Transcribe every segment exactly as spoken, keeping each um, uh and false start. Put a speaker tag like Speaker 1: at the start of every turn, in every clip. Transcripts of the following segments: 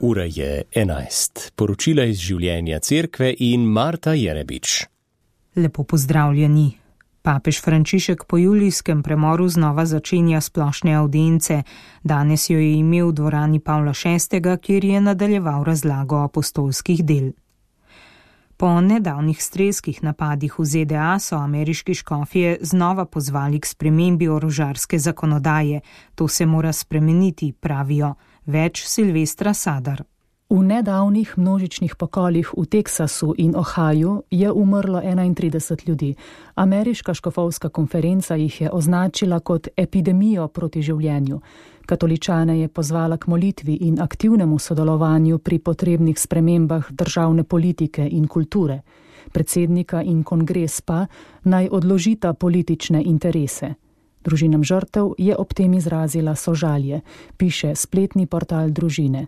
Speaker 1: Ura je enajst. Poročila iz življenja cerkve in Marta Jerebič.
Speaker 2: Lepo pozdravljeni. Papež Frančišek po julijskem premoru znova začenja splošne avdience. Danes jo je imel v dvorani Pavla šestega, kjer je nadaljeval razlago apostolskih del. Po nedavnih strelskih napadih v Z D A so ameriški škofje znova pozvali k spremembi orožarske zakonodaje. To se mora spremeniti, pravijo. Več Silvestra Sadar.
Speaker 3: V nedavnih množičnih pokolih v Teksasu in Ohaju je umrlo enaintrideset ljudi. Ameriška škofovska konferenca jih je označila kot epidemijo proti življenju. Katoličane je pozvala k molitvi in aktivnemu sodelovanju pri potrebnih spremembah državne politike in kulture. Predsednika in kongres pa naj odložita politične interese. Družinam žrtev je ob tem izrazila sožalje, piše spletni portal Družine.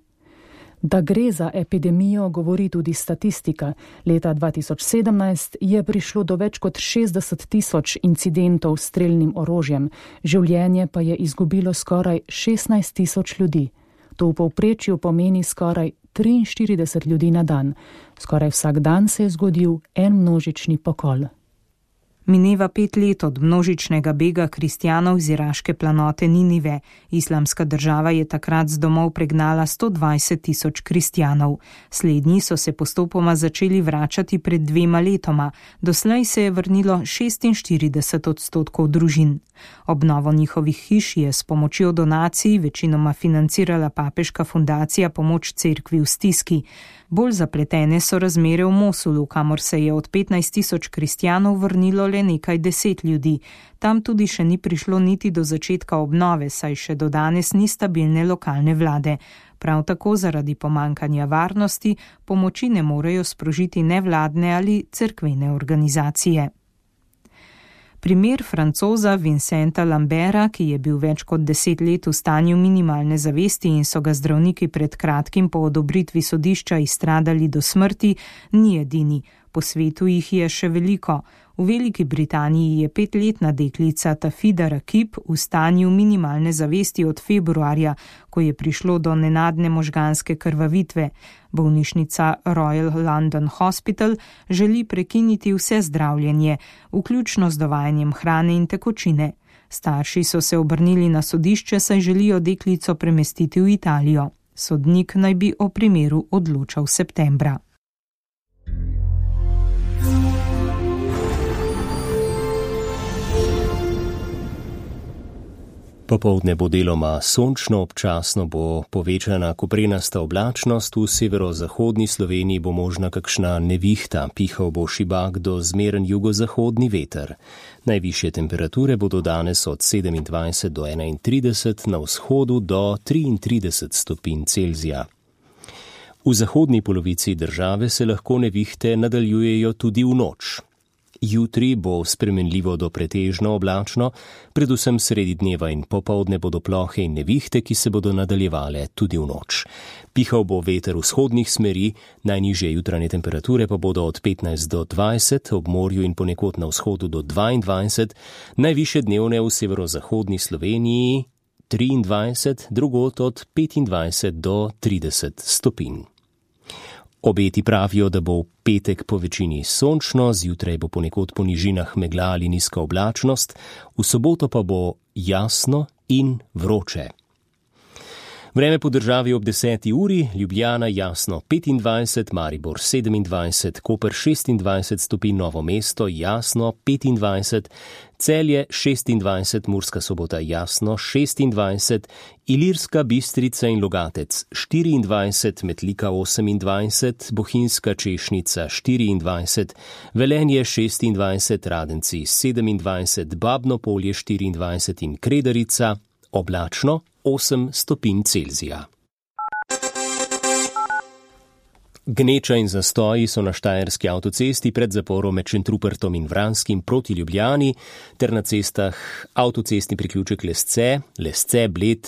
Speaker 3: Da gre za epidemijo, govori tudi statistika. Leta dva tisoč sedemnajst je prišlo do več kot šestdeset tisoč incidentov s strelnim orožjem, življenje pa je izgubilo skoraj šestnajst tisoč ljudi. To v povprečju pomeni skoraj triinštirideset ljudi na dan. Skoraj vsak dan se je zgodil en množični pokol.
Speaker 2: Mineva pet let od množičnega bega kristjanov z iraške planote Ninive. Islamska država je takrat z domov pregnala sto dvajset tisoč kristjanov. Slednji so se postopoma začeli vračati pred dvema letoma. Doslej se je vrnilo šestinštirideset odstotkov družin. Obnovo njihovih hiš je s pomočjo donacij večinoma financirala papeška fundacija Pomoč cerkvi v stiski. Bolj zapletene so razmere v Mosulu, kamor se je od petnajst tisoč kristjanov vrnilo le nekaj deset ljudi. Tam tudi še ni prišlo niti do začetka obnove, saj še do danes ni stabilne lokalne vlade. Prav tako zaradi pomankanja varnosti pomoči ne morejo sprožiti nevladne ali cerkvene organizacije. Primer Francoza Vincenta Lambera, ki je bil več kot deset let v stanju minimalne zavesti in so ga zdravniki pred kratkim po odobritvi sodišča izstradali do smrti, ni edini. Po svetu jih je še veliko. V Veliki Britaniji je petletna deklica Tafida Rakib v stanju minimalne zavesti od februarja, ko je prišlo do nenadne možganske krvavitve. Bolnišnica Royal London Hospital želi prekiniti vse zdravljenje, vključno z dovajanjem hrane in tekočine. Starši so se obrnili na sodišče, saj želijo deklico premestiti v Italijo. Sodnik naj bi o primeru odločal septembra.
Speaker 1: Popoldne bo deloma sončno, občasno bo povečana koprenasta oblačnost, v severozahodni Sloveniji bo možna kakšna nevihta, pihal bo šibak do zmeren jugozahodni veter. Najvišje temperature bodo danes od sedemindvajset do enaintrideset, na vzhodu do triintrideset stopinj Celzija. V zahodni polovici države se lahko nevihte nadaljujejo tudi v noč. Jutri bo spremenljivo do pretežno oblačno, predvsem sredi dneva in popoldne bodo plohe in nevihte, ki se bodo nadaljevale tudi v noč. Pihal bo veter vzhodnih smeri, najnižje jutranje temperature pa bodo od petnajst do dvajset, ob morju in ponekod na vzhodu do dvaindvajset, najvišje dnevne v severozahodni Sloveniji triindvajset, drugod od petindvajset do trideset stopinj. Obeti pravijo, da bo v petek po večini sončno, zjutraj bo ponekod po nižinah megla ali nizka oblačnost, v soboto pa bo jasno in vroče. Vreme po državi ob deseti uri, Ljubljana jasno petindvajset, Maribor sedemindvajset, Koper šestindvajset stopinj, Novo mesto jasno petindvajset, Celje šestindvajset, Murska Sobota jasno šestindvajset, Ilirska Bistrica in Logatec štiriindvajset, Metlika osemindvajset, Bohinjska Češnica štiriindvajset, Velenje šestindvajset, Radenci sedemindvajset, Babno Polje štiriindvajset in Kredarica oblačno osem stopinj Celzija. Gneča in zastoji so na štajerski avtocesti pred zaporom med Šentrupertom in Vranskim proti Ljubljani ter na cestah avtocestni priključek Lesce, Lesce Bled,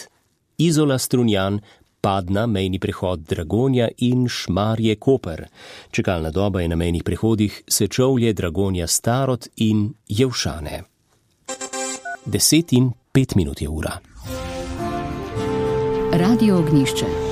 Speaker 1: Izola Strunjan, Padna, mejni prehod Dragonja in Šmarje Koper. Čakalna doba je na mejnih prehodih Sečovlje, Dragonja Starod in Jevšane. Deset in pet minut je ura.
Speaker 4: Radio Ognjišče.